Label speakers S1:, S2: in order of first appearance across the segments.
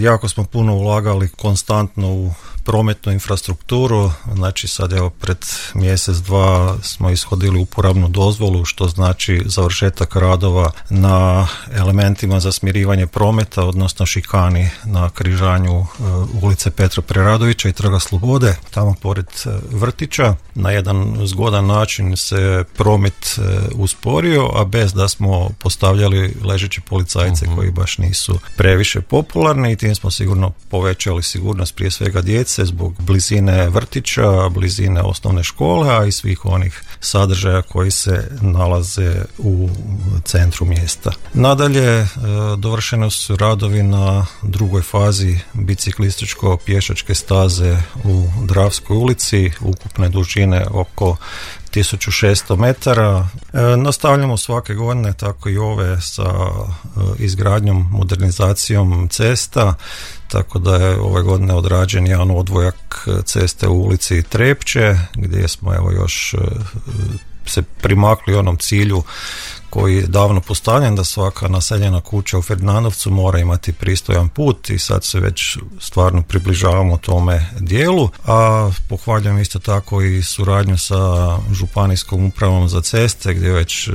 S1: Jako smo puno ulagali konstantno u prometnu infrastrukturu, znači sad evo pred mjesec, dva smo ishodili uporabnu dozvolu, što znači završetak radova na elementima za smirivanje prometa, odnosno šikani na križanju ulice Petra Preradovića i Trga Slobode, tamo pored vrtića. Na jedan zgodan način se promet usporio, a bez da smo postavljali ležeći policajce koji baš nisu previše popularni, i tim smo sigurno povećali sigurnost prije svega djece zbog blizine vrtića, blizine osnovne škole, a i svih onih sadržaja koji se nalaze u centru mjesta. Nadalje, dovršeni su radovi na drugoj fazi biciklističko-pješačke staze u Dravskoj ulici, ukupne dužine oko 1600 metara. Nastavljamo svake godine, tako i ove, sa izgradnjom, modernizacijom cesta, tako da je ove godine odrađen jedan odvojak ceste u ulici Trepče, gdje smo evo još se primakli onom cilju koji je davno postavljen, da svaka naseljena kuća u Ferdinandovcu mora imati pristojan put, i sad se već stvarno približavamo tome dijelu. A pohvaljujem isto tako i suradnju sa Županijskom upravom za ceste, gdje već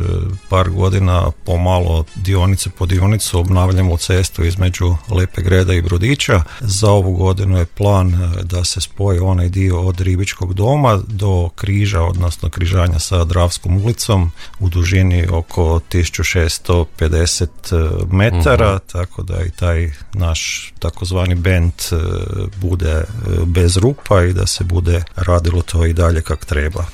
S1: par godina pomalo dionice po dionicu obnavljamo cestu između Lepe Greda i Brodića. Za ovu godinu je plan da se spoji onaj dio od Ribičkog doma do križa, odnosno križanja sa Dravskom ulicom u dužini oko 1650 metara, tako da i taj naš takozvani bend bude bez rupa i da se bude radilo to i dalje kak treba.